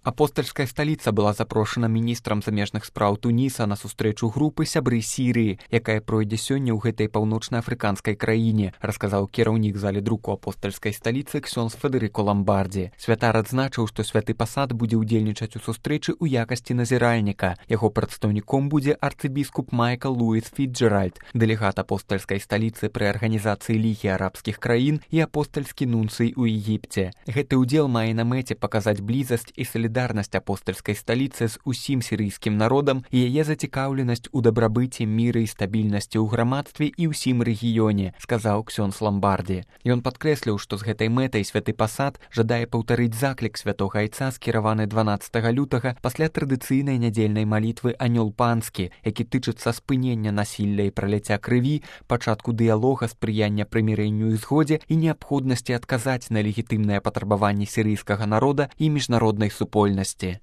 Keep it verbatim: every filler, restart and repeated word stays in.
Апостальская сталіца была запрошана міністрам замежных спраў Туніса на сустрэчу групы сябры Сірыі, якая пройдзе сёння ў гэтай паўночна-афрыканскай краіне, расказаў кіраўнік залі друку апостальскай сталіцы ксёндз Федэрыко Ламбардзі. Святар адзначыў, што святы пасад будзе ўдзельнічаць у сустрэчы ў якасці назіральніка. Яго прадстаўніком будзе арцыбіскуп Майкл Луіс Фіцджеральд, дэлегат апостальскай сталіцы пры арганізацыі Лігі арабскіх краін і апостальскі нунцый у Егіпце. Гэты ўдзел мае на мэце паказаць блізасць і салідарнасць Солідарнасць апостальскай сталіцы з усім сірыйскім народам і яе зацікаўленасць у дабрабыце, міры і стабільнасці ў грамадстве і ўсім рэгіёне, сказаў ксёндз Ламбардзі. Ён падкрэсліў, што з гэтай мэтай святы пасад жадае паўтарыць заклік святога айца, скіраваны дванаццатага лютага пасля традыцыйнай нядзельнай малітвы «Анёл панскі», які тычыцца спынення насілля і праляцця крыві, пачатку дыялога, спрыяння прымірэнню і згодзе і неабходнасці адказаць на легітымныя патрабаванні сірыйскага народа і міжнароднай супольнасці.